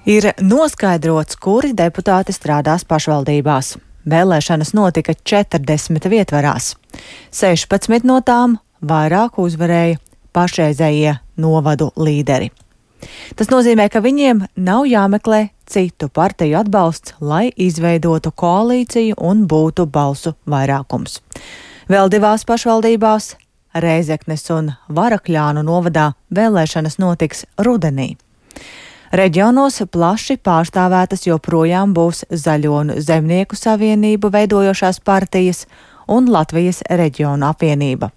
Ir noskaidrots, kuri deputāti strādās pašvaldībās. Vēlēšanas notika 40 vietvarās. 16 no tām vairāk uzvarēja pašreizējie novadu līderi. Tas nozīmē, ka viņiem nav jāmeklē citu partiju atbalsts, lai izveidotu koalīciju un būtu balsu vairākums. Vēl divās pašvaldībās, Rēzeknes un Varakļānu novadā, vēlēšanas notiks rudenī. Reģionos plaši pārstāvētas joprojām būs Zaļo un Zemnieku savienību veidojošās partijas un Latvijas reģionu apvienība.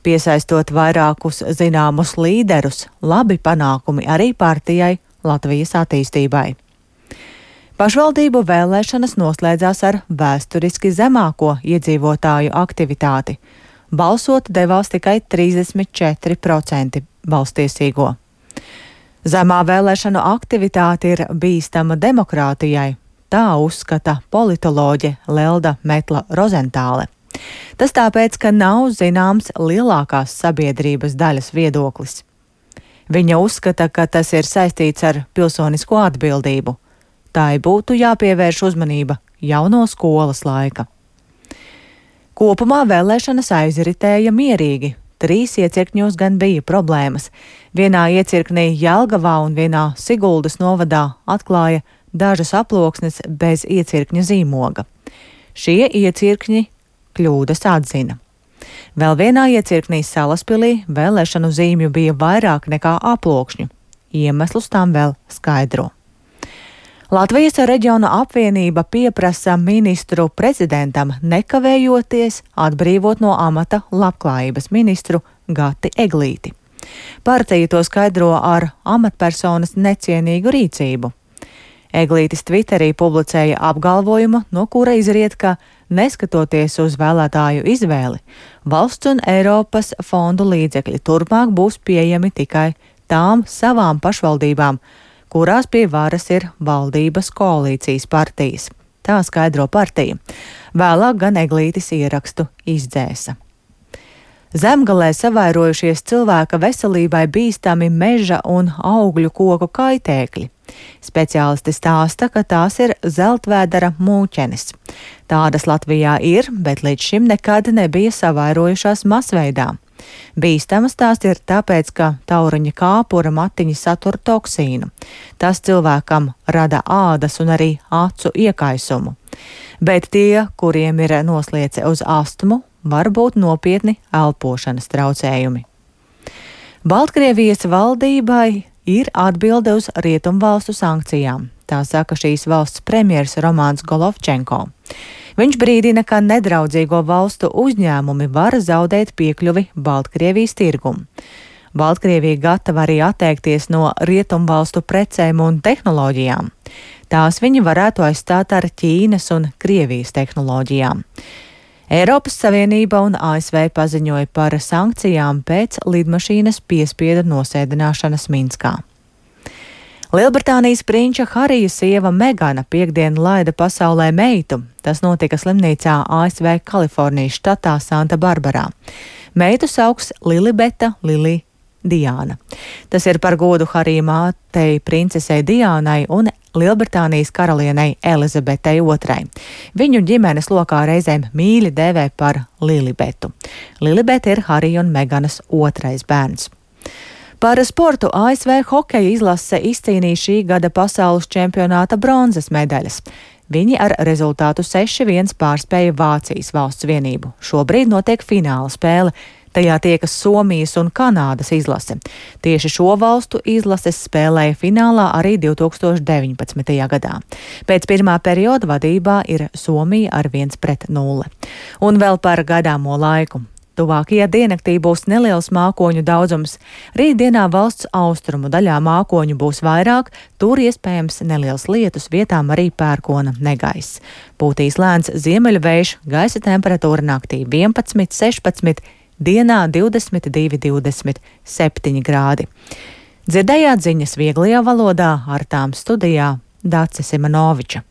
Piesaistot vairākus zināmus līderus, labi panākumi arī partijai Latvijas attīstībai. Pašvaldību vēlēšanas noslēdzās ar vēsturiski zemāko iedzīvotāju aktivitāti. Balsot devās tikai 34% balstiesīgo. Zemā vēlēšanu aktivitāte ir bīstama demokrātijai, tā uzskata politoloģe Lelda Metla-Rozentāle. Tas tāpēc, ka nav zināms lielākās sabiedrības daļas viedoklis. Viņa uzskata, ka tas ir saistīts ar pilsonisko atbildību. Tai būtu jāpievērš uzmanība jau no skolas laika. Kopumā vēlēšanas aizritēja mierīgi. 3 iecirkņos gan bija problēmas. Vienā iecirknī Jelgavā un vienā Siguldas novadā atklāja dažas aploksnes bez iecirkņa zīmoga. Šie iecirkņi kļūdas atzina. Vēl vienā iecirknī Salaspilī vēlēšanu zīmju bija vairāk nekā aplokšņu. Iemeslus tam vēl skaidro. Latvijas reģiona apvienība pieprasa ministru prezidentam nekavējoties atbrīvot no amata labklājības ministru Gati Eglīti. Partija to skaidro ar amatpersonas necienīgu rīcību. Eglītis Twitterī publicēja apgalvojumu, no kura izriet, ka, neskatoties uz vēlētāju izvēli, valsts un Eiropas fondu līdzekļi turpmāk būs pieejami tikai tām savām pašvaldībām, kurās pie varas ir valdības koalīcijas partijas. Tā skaidro partija. Vēlāk gan Eglītis ierakstu izdzēsa. Zemgalē savairojušies cilvēka veselībai bīstami meža un augļu koku kaitēkļi. Speciālisti stāsta, ka tās ir zeltvēdera mūķenes. Tādas Latvijā ir, bet līdz šim nekad nebija savairojušās masveidā. Bīstamas tās ir tāpēc, ka tauriņa kāpura matiņi satur toksīnu. Tas cilvēkam rada ādas un arī acu iekaisumu. Bet tie, kuriem ir nosliece uz astmu, var būt nopietni elpošanas traucējumi. Baltkrievijas valdībai ir atbilde uz rietumvalstu sankcijām. Tā saka šīs valsts premjers Romāns Golovčenko. Viņš brīdina, ka nedraudzīgo valstu uzņēmumi var zaudēt piekļuvi Baltkrievijas tirgumu. Baltkrievija gatava arī atteikties no rietumvalstu precēm un tehnoloģijām. Tās viņi varētu aizstāt ar Ķīnas un Krievijas tehnoloģijām. Eiropas Savienība un ASV paziņoja par sankcijām pēc lidmašīnas piespiedu nosēdināšanas Minskā. Lielbritānijas prinča Harija sieva Megana piektdien laida pasaulē meitu. Tas notika slimnīcā ASV Kalifornijas štatā Santa Barbarā. Meitu sauks Lilibeta Lili Diāna. Tas ir par godu Harija mātei princesei Diānai un Lielbritānijas karalienei Elizabetei II. Viņu ģimenes lokā reizēm mīļi dēvē par Lilibetu. Lilibeta ir Harija un Meganas otrais bērns. Par sportu ASV hokeja izlase izcīnīja šī gada pasaules čempionāta bronzas medaļas. Viņi ar rezultātu 6-1 pārspēja Vācijas valsts vienību. Šobrīd notiek fināla spēle. Tajā tiekas Somijas un Kanādas izlase. Tieši šo valstu izlases spēlēja finālā arī 2019. gadā. Pēc pirmā perioda vadībā ir Somija ar 1-0. Un vēl par gadāmo laiku. Tuvākajā diennaktī būs neliels mākoņu daudzums. Rītdienā valsts austrumu daļā mākoņu būs vairāk, tur iespējams neliels lietus, vietām arī pērkona negaiss. Pūtīs lēns ziemeļu vējš, gaisa temperatūra naktī 11, 16, dienā 22, 27 grādi. Dzirdējāt ziņas vieglajā valodā, ar tām studijā Dace Simanoviča.